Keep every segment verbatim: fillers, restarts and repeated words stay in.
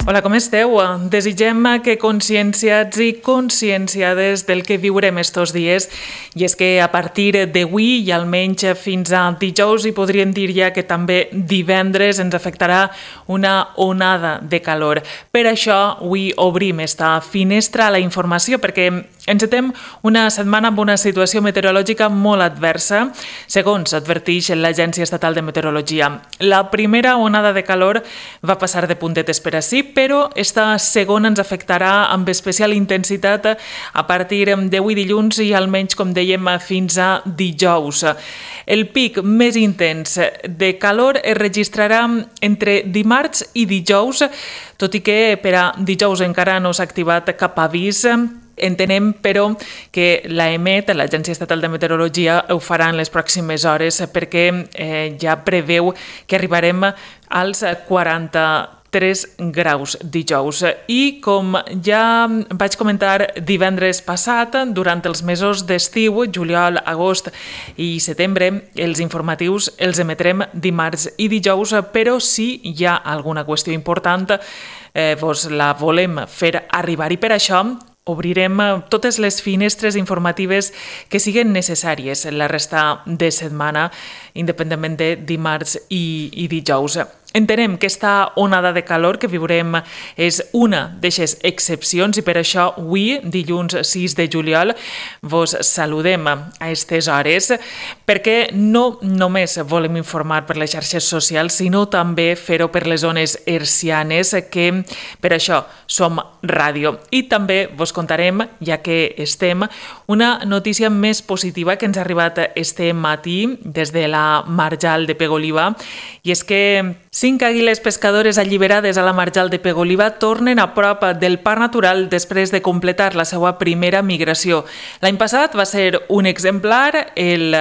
Hola, com esteu? Desitgem que conscienciats i conscienciades del que viurem estos dies, i és que a partir d'avui i almenys fins a dijous, i podríem dir ja que també divendres, ens afectarà una onada de calor. Per això avui obrim esta finestra a la informació, perquè encetem una setmana amb una situació meteorològica molt adversa, segons adverteix l'Agència Estatal de Meteorologia. La primera onada de calor va passar de puntetes per ací, però esta segona ens afectarà amb especial intensitat a partir d'avui dilluns i almenys, com dèiem, fins a dijous. El pic més intens de calor es registrarà entre dimarts i dijous, tot i que per a dijous encara no s'ha activat cap avís. Entenem, però, que l'EMET, l'Agència Estatal de Meteorologia, ho farà en les pròximes hores perquè eh, ja preveu que arribarem als quaranta tres graus dijous. I com ja vaig comentar divendres passat, durant els mesos d'estiu, juliol, agost i setembre, els informatius els emetrem dimarts i dijous, però si hi ha alguna qüestió important, eh, vos la volem fer arribar, i per això obrirem totes les finestres informatives que siguen necessàries en la resta de setmana, independentment de dimarts i, i dijous. Entenem que esta onada de calor que viurem és una d'aquestes excepcions, i per això avui, dilluns sis de juliol, vos saludem a aquestes hores, perquè no només volem informar per les xarxes socials, sinó també fer-ho per les zones hertzianes, que per això som ràdio. I també vos contarem, ja que estem, una notícia més positiva que ens ha arribat este matí des de la Marjal de Pego-Oliva, i és que cinc àguiles pescadores alliberades a la Marjal de Pego-Oliva tornen a prop del parc natural després de completar la seva primera migració. L'any passat va ser un exemplar, el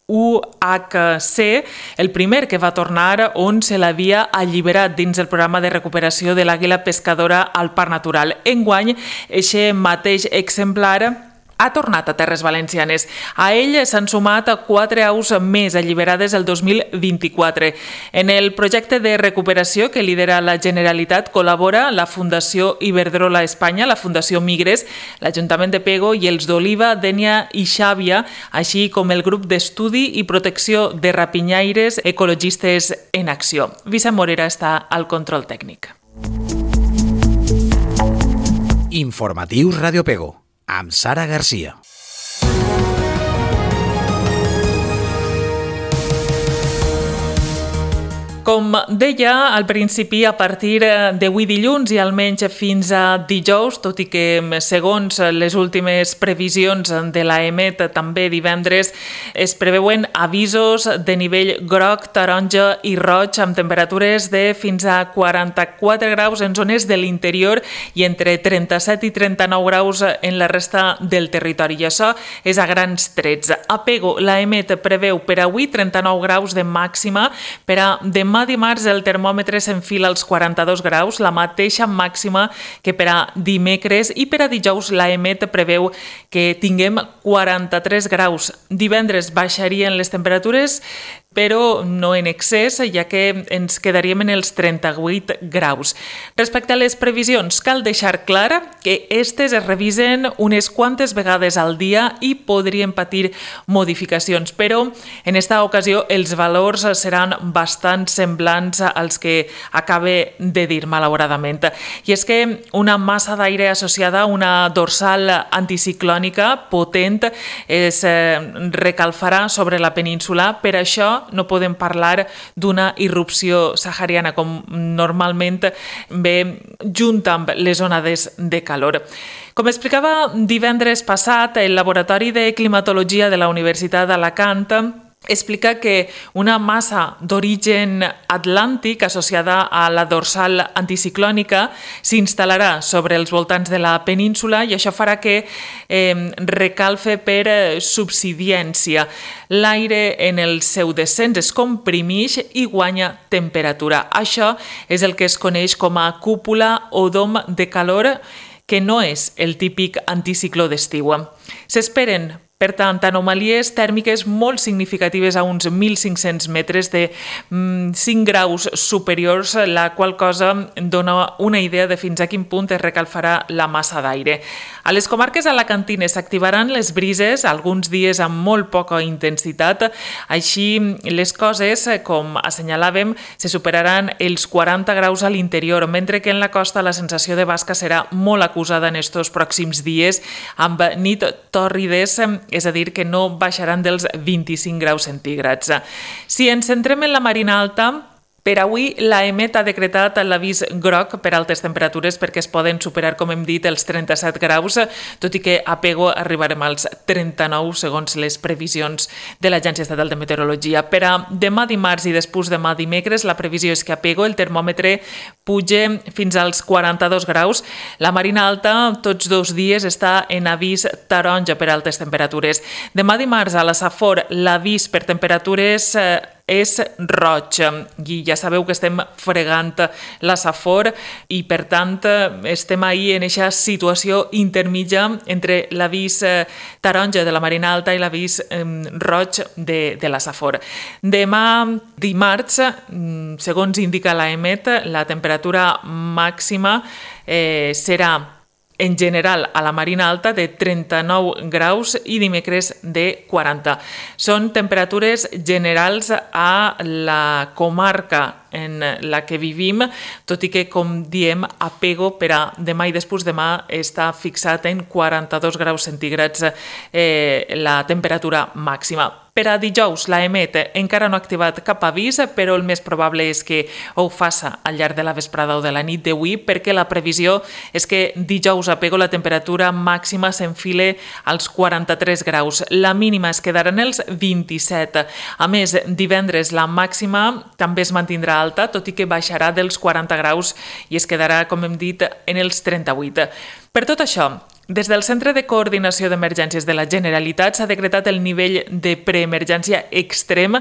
U H C, el primer que va tornar, on se l'havia alliberat dins el programa de recuperació de l'àguila pescadora al parc natural. Enguany, aquest mateix exemplar ha tornat a terres valencianes. A ell s'han sumat quatre aus més alliberades el dos mil vint-i-quatre. En el projecte de recuperació que lidera la Generalitat col·labora la Fundació Iberdrola Espanya, la Fundació Migres, l'Ajuntament de Pego i els d'Oliva, Dénia i Xàbia, així com el grup d'estudi i protecció de rapinyaires ecologistes en acció. Vicent Morera està al control tècnic. Informatius Ràdio Pego, amb Sara Garcia. Com deia al principi, a partir d'avui dilluns i almenys fins a dijous, tot i que segons les últimes previsions de l'EMET també divendres es preveuen avisos de nivell groc, taronja i roig amb temperatures de fins a quaranta-quatre graus en zones de l'interior i entre trenta-set i trenta-nou graus en la resta del territori. I això és a grans trets. A Pego, l'EMET preveu per avui trenta-nou graus de màxima, per a demà dimarts el termòmetre s'enfila als quaranta-dos graus, la mateixa màxima que per a dimecres, i per a dijous l'EMET preveu que tinguem quaranta-tres graus. Divendres baixarien les temperatures, però no en excés, ja que ens quedaríem en els trenta-vuit graus. Respecte a les previsions, cal deixar clar que aquestes es revisen unes quantes vegades al dia i podrien patir modificacions, però en esta ocasió els valors seran bastant semblants als que acabe de dir, malauradament. I és que una massa d'aire associada a una dorsal anticiclònica potent es recalfarà sobre la península. Per això no podem parlar d'una irrupció sahariana, com normalment ve junt amb les onades de calor. Com explicava divendres passat, el Laboratori de Climatologia de la Universitat d'Alacant explica que una massa d'origen atlàntic associada a la dorsal anticiclònica s'instal·larà sobre els voltants de la península, i això farà que eh, recalfe per subsidència. L'aire en el seu descens es comprimeix i guanya temperatura. Això és el que es coneix com a cúpula o dom de calor, que no és el típic anticicló d'estiu. S'esperen Per tant, anomalies tèrmiques molt significatives a uns mil cinc-cents metres de cinc graus superiors, la qual cosa dona una idea de fins a quin punt es recalfarà la massa d'aire. A les comarques alacantines s'activaran les brises, alguns dies amb molt poca intensitat, així les coses, com assenyalàvem, se superaran els quaranta graus a l'interior, mentre que en la costa la sensació de basca serà molt acusada en estos pròxims dies, amb nit tòrrides, és a dir, que no baixaran dels vint-i-cinc graus centígrads. Si ens centrem en la Marina Alta, per avui l'A E M E T ha decretat l'avís groc per altes temperatures perquè es poden superar, com hem dit, els trenta-set graus, tot i que a Pego arribarem als trenta-nou segons les previsions de l'Agència Estatal de Meteorologia. Per a demà dimarts i després demà dimecres, la previsió és que a Pego el termòmetre puja fins als quaranta-dos graus. La Marina Alta tots dos dies està en avís taronja per altes temperatures. Demà dimarts a la Safor l'avís per temperatures és roig i ja sabeu que estem fregant la Safor i per tant estem ahir en aquesta situació intermitja entre l'avís taronja de la Marina Alta i l'avís roig de, de la Safor. Demà dimarts, segons indica l'A E M E T, la temperatura màxima eh, serà en general a la Marina Alta de trenta-nou graus i dimecres de quaranta. Són temperatures generals a la comarca en la que vivim, tot i que, com diem, a Pego per a demà i després demà està fixat en quaranta-dos graus centígrads eh, la temperatura màxima. Per a dijous, l'A E M E T encara no ha activat cap avís, però el més probable és que ho faça al llarg de la vesprada o de la nit d'avui, perquè la previsió és que dijous a Pego la temperatura màxima s'enfile als quaranta-tres graus. La mínima es quedarà en els vint-i-set. A més, divendres la màxima també es mantindrà alta, tot i que baixarà dels quaranta graus i es quedarà, com hem dit, en els trenta-vuit. Per tot això, des del Centre de Coordinació d'Emergències de la Generalitat s'ha decretat el nivell de preemergència extrem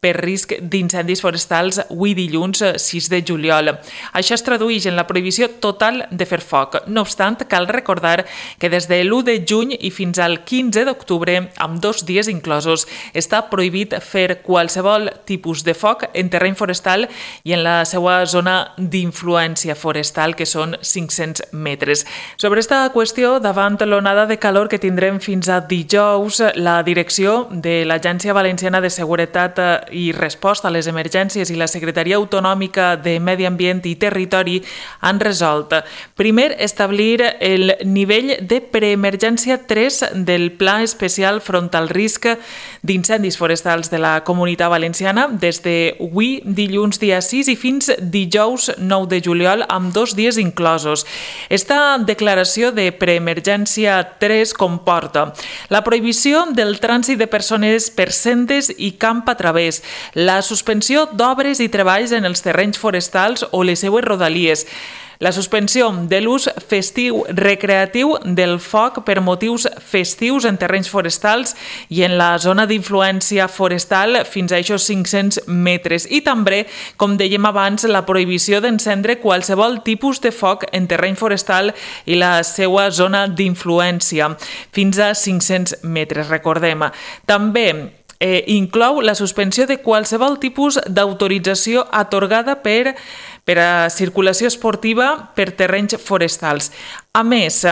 per risc d'incendis forestals avui dilluns sis de juliol. Això es tradueix en la prohibició total de fer foc. No obstant, cal recordar que des de l'u de juny i fins al quinze d'octubre, amb dos dies inclosos, està prohibit fer qualsevol tipus de foc en terreny forestal i en la seva zona d'influència forestal, que són cinc-cents metres. Sobre aquesta qüestió, davant l'onada de calor que tindrem fins a dijous, la direcció de l'Agència Valenciana de Seguretat i Resposta a les Emergències i la Secretaria Autonòmica de Medi Ambient i Territori han resolt, primer, establir el nivell de preemergència tres del Pla Especial front al risc d'incendis forestals de la Comunitat Valenciana des d'avui, dilluns dia sis, i fins dijous nou de juliol, amb dos dies inclosos. Esta declaració de preemergència tres comporta la prohibició del trànsit de persones per sendes i camp a través, la suspensió d'obres i treballs en els terrenys forestals o les seues rodalies, la suspensió de l'ús festiu recreatiu del foc per motius festius en terrenys forestals i en la zona d'influència forestal fins a aquests cinc-cents metres, i també, com dèiem abans, la prohibició d'encendre qualsevol tipus de foc en terreny forestal i la seva zona d'influència fins a cinc-cents metres, recordem. També eh, inclou la suspensió de qualsevol tipus d'autorització atorgada per per a circulació esportiva per terrenys forestals. A més,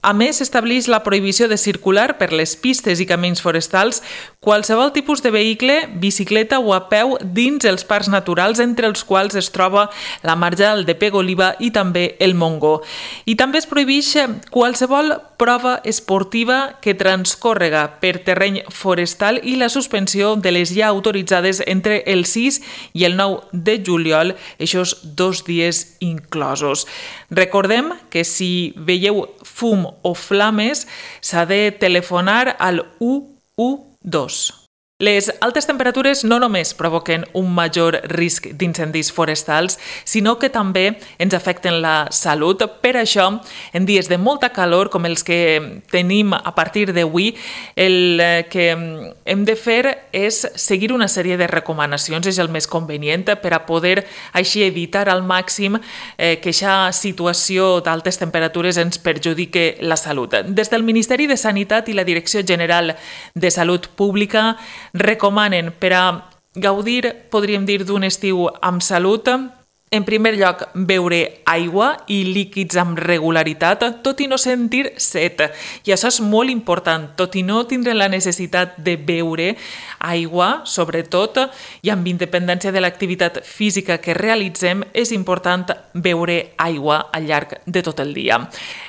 A més, estableix la prohibició de circular per les pistes i camins forestals qualsevol tipus de vehicle, bicicleta o a peu dins els parcs naturals, entre els quals es troba la Marjal de Pego-Oliva i també el Montgó. I també es prohibeix qualsevol prova esportiva que transcórrega per terreny forestal i la suspensió de les ja autoritzades entre el sis i el nou de juliol, aquests dos dies inclosos. Recordem que si veieu fum o flames s'ha de telefonar al u u dos. Les altes temperatures no només provoquen un major risc d'incendis forestals, sinó que també ens afecten la salut. Per això, en dies de molta calor, com els que tenim a partir d'avui, el que hem de fer és seguir una sèrie de recomanacions, és el més convenient per a poder així evitar al màxim eh, que aquesta situació d'altes temperatures ens perjudique la salut. Des del Ministeri de Sanitat i la Direcció General de Salut Pública recomanen per a gaudir, podríem dir, d'un estiu amb salut, en primer lloc, beure aigua i líquids amb regularitat, tot i no sentir set. I això és molt important, tot i no tindre la necessitat de beure aigua, sobretot, i amb independència de l'activitat física que realitzem, és important beure aigua al llarg de tot el dia.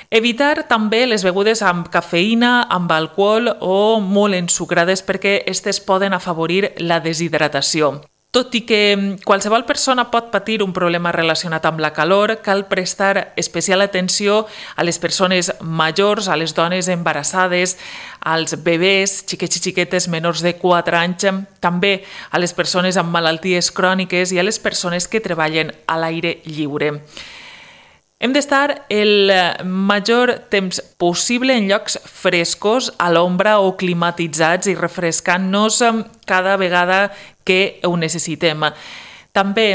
Evitar també les begudes amb cafeïna, amb alcohol o molt ensucrades perquè aquestes poden afavorir la deshidratació. Tot i que qualsevol persona pot patir un problema relacionat amb la calor, cal prestar especial atenció a les persones majors, a les dones embarassades, als bebès, xiquets i xiquetes menors de quatre anys, també a les persones amb malalties cròniques i a les persones que treballen a l'aire lliure. Hem d'estar el major temps possible en llocs frescos, a l'ombra o climatitzats i refrescant-nos cada vegada que ho necessitem. També,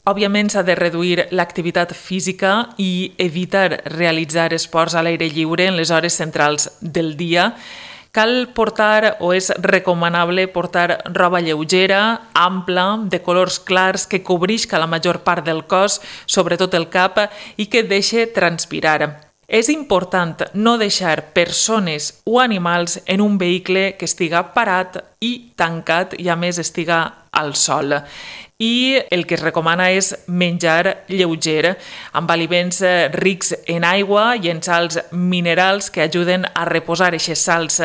òbviament, s'ha de reduir l'activitat física i evitar realitzar esports a l'aire lliure en les hores centrals del dia. Cal portar, o és recomanable portar roba lleugera, ampla, de colors clars, que cobrisca la major part del cos, sobretot el cap, i que deixi transpirar. És important no deixar persones o animals en un vehicle que estiga parat i tancat i a més estiga al sol. I el que es recomana és menjar lleuger, amb aliments rics en aigua i en sals minerals que ajuden a reposar aquestes sals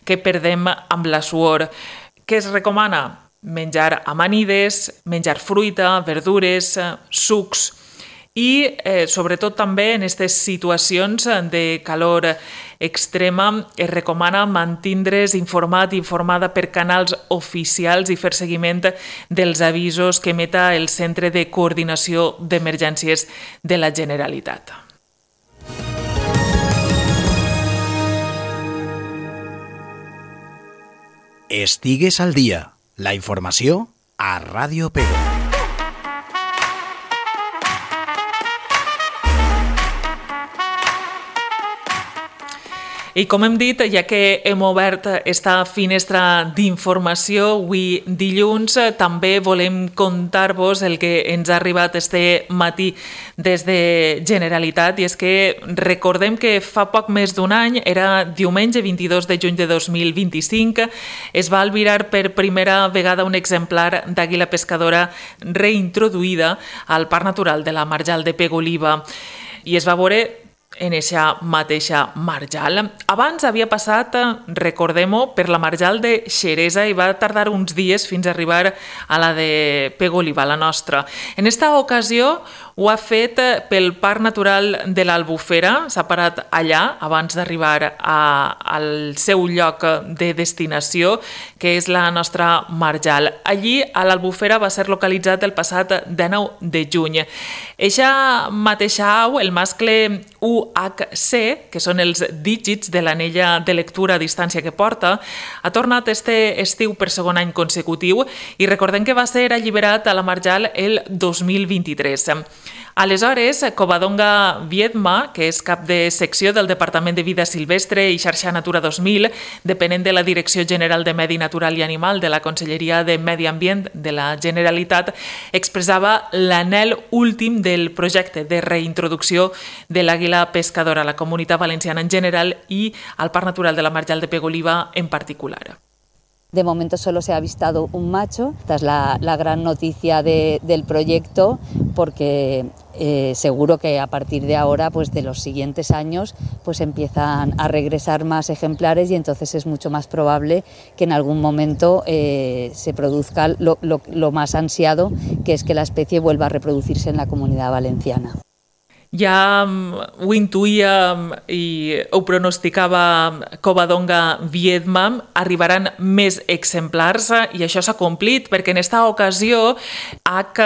que perdem amb la suor. Què es recomana? Menjar amanides, menjar fruita, verdures, sucs. I eh, sobretot també en aquestes situacions de calor extrema es recomana mantindre's informat i informada per canals oficials i fer seguiment dels avisos que emeta el Centre de Coordinació d'Emergències de la Generalitat. Estigues al dia. La informació a Ràdio Pego. I com hem dit, ja que hem obert esta finestra d'informació avui dilluns, també volem contar-vos el que ens ha arribat este matí des de Generalitat, i és que recordem que fa poc més d'un any, era diumenge vint-i-dos de juny de dos mil vint-i-cinc, es va albirar per primera vegada un exemplar d'àguila pescadora reintroduïda al Parc Natural de la Marjal de Pego-Oliva, i es va veure en aquesta mateixa marjal. Abans havia passat, recordem-ho, per la marjal de Xeresa i va tardar uns dies fins a arribar a la de Pego-Oliva, la nostra. En esta ocasió ho ha fet pel Parc Natural de l'Albufera, s'ha parat allà abans d'arribar al seu lloc de destinació, que és la nostra marjal. Allí, a l'Albufera, va ser localitzat el passat dinou de juny. Eixa mateixa au, el mascle U H C, que són els dígits de l'anella de lectura a distància que porta, ha tornat este estiu per segon any consecutiu i recordem que va ser alliberat a la marjal el dos mil vint-i-tres. Aleshores, Covadonga Viedma, que és cap de secció del Departament de Vida Silvestre i Xarxa Natura dos mil, depenent de la Direcció General de Medi Natural i Animal de la Conselleria de Medi Ambient de la Generalitat, expressava l'anhel últim del projecte de reintroducció de l'àguila pescadora a la Comunitat Valenciana en general i al Parc Natural de la Marjal de Pego-Oliva en particular. De momento solo se ha avistado un macho. Esta es la, la gran noticia de, del proyecto, porque eh, seguro que a partir de ahora, pues de los siguientes años, pues empiezan a regresar más ejemplares y entonces es mucho más probable que en algún momento eh, se produzca lo, lo, lo más ansiado, que es que la especie vuelva a reproducirse en la Comunidad Valenciana. Ja ho intuïa i ho pronosticava Covadonga Viedma, arribaran més exemplars i això s'ha complit perquè en esta ocasió H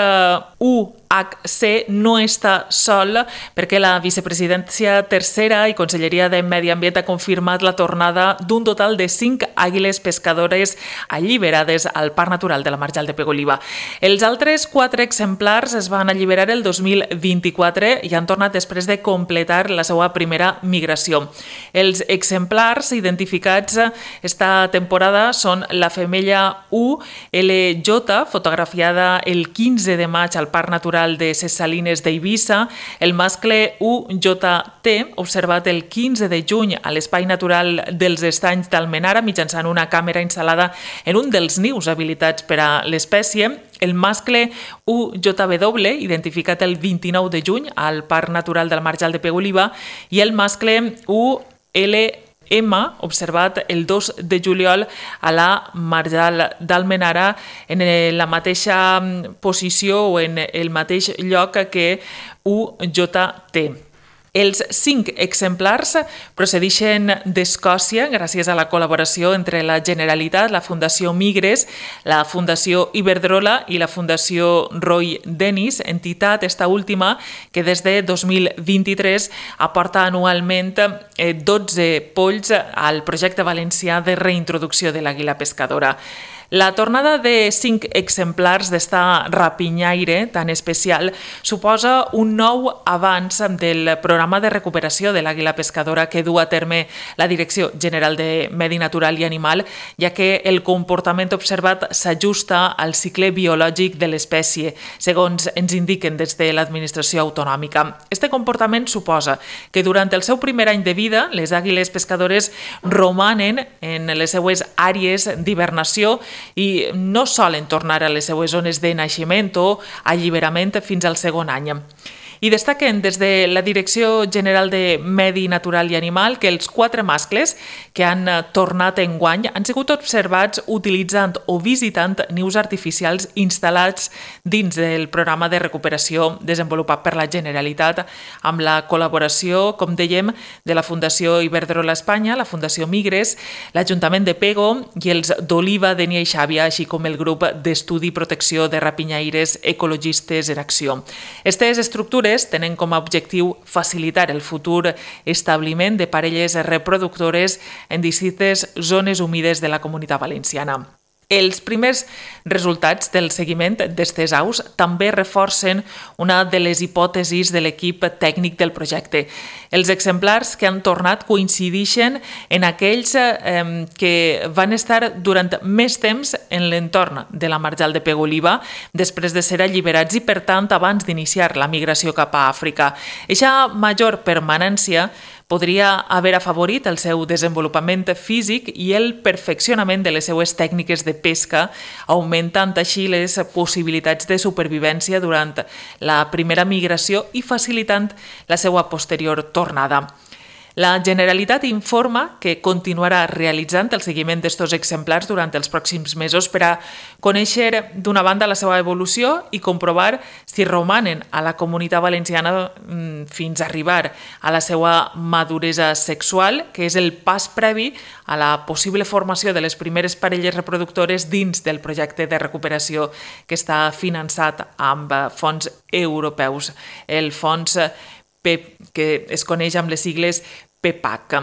u H C no està sol perquè la vicepresidència tercera i Conselleria de Medi Ambient ha confirmat la tornada d'un total de cinc àguiles pescadores alliberades al Parc Natural de la Marjal de Pego-Oliva. Els altres quatre exemplars es van alliberar el dos mil vint-i-quatre i han tornat després de completar la seva primera migració. Els exemplars identificats esta temporada són la femella U L J, fotografiada el quinze de maig al Parc Natural de ses Salines d'Eivissa, el mascle U J T, observat el quinze de juny a l'Espai Natural dels Estanys d'Almenara mitjançant una càmera instal·lada en un dels nius habilitats per a l'espècie, el mascle U J W, identificat el vint-i-nou de juny al Parc Natural del Marjal de Pego-Oliva, i el mascle U L M, observat el dos de juliol a la Marjal d'Almenara en la mateixa posició o en el mateix lloc que U J T. Els cinc exemplars procedeixen d'Escòcia gràcies a la col·laboració entre la Generalitat, la Fundació Migres, la Fundació Iberdrola i la Fundació Roy Dennis, entitat, esta última, que des de dos mil vint-i-tres aporta anualment dotze polls al projecte valencià de reintroducció de l'àguila pescadora. La tornada de cinc exemplars d'esta rapinyaire tan especial suposa un nou avanç del programa de recuperació de l'àguila pescadora que du a terme la Direcció General de Medi Natural i Animal, ja que el comportament observat s'ajusta al cicle biològic de l'espècie, segons ens indiquen des de l'administració autonòmica. Este comportament suposa que durant el seu primer any de vida les àguiles pescadores romanen en les seues àrees d'hibernació i no solen tornar a les seues zones de naixement o alliberament fins al segon any. I destaquen des de la Direcció General de Medi Natural i Animal que els quatre mascles que han tornat enguany han sigut observats utilitzant o visitant nius artificials instal·lats dins del programa de recuperació desenvolupat per la Generalitat amb la col·laboració, com dèiem, de la Fundació Iberdrola Espanya, la Fundació Migres, l'Ajuntament de Pego i els d'Oliva, Denia i Xàbia, així com el grup d'estudi i protecció de rapinyaires ecologistes en acció. Aquestes estructures tenen com a objectiu facilitar el futur establiment de parelles reproductores en distintes zones humides de la Comunitat Valenciana. Els primers resultats del seguiment d'estes aus també reforcen una de les hipòtesis de l'equip tècnic del projecte. Els exemplars que han tornat coincideixen en aquells eh, que van estar durant més temps en l'entorn de la Marjal de Pego-Oliva després de ser alliberats i, per tant, abans d'iniciar la migració cap a Àfrica. Eixa major permanència podria haver afavorit el seu desenvolupament físic i el perfeccionament de les seues tècniques de pesca, augmentant així les possibilitats de supervivència durant la primera migració i facilitant la seva posterior tornada. La Generalitat informa que continuarà realitzant el seguiment d'estos exemplars durant els pròxims mesos per a conèixer d'una banda la seva evolució i comprovar si romanen a la Comunitat Valenciana fins a arribar a la seva maduresa sexual, que és el pas previ a la possible formació de les primeres parelles reproductores dins del projecte de recuperació que està finançat amb fons europeus, el fons P E P, que es coneix amb les sigles P E P A C.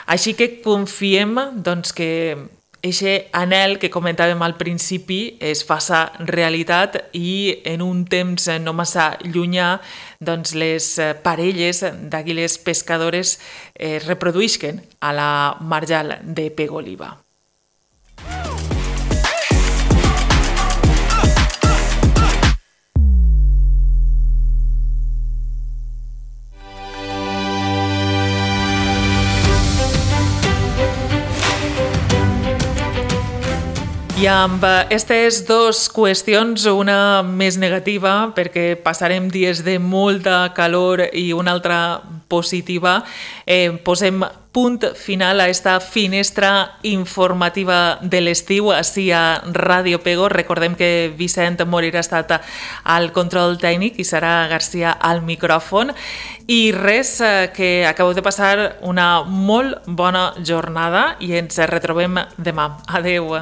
Així que confiem doncs, que aquest anhel que comentàvem al principi es faça realitat i en un temps no massa llunyà doncs, les parelles d'àguiles pescadores es reproduïsquen a la Marjal de Pego-Oliva. I amb aquestes dues qüestions, una més negativa, perquè passarem dies de molta calor i una altra positiva, eh, posem punt final a esta finestra informativa de l'estiu així a Ràdio Pego. Recordem que Vicent Morir ha estat al control tècnic i Sara Garcia al micròfon. I res, que acabeu de passar una molt bona jornada i ens retrobem demà. Adeu.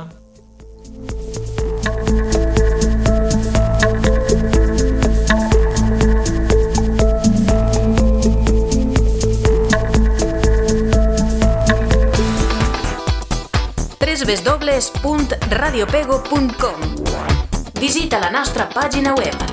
w w w punt radiopego punt com. Visita la nostra pàgina web.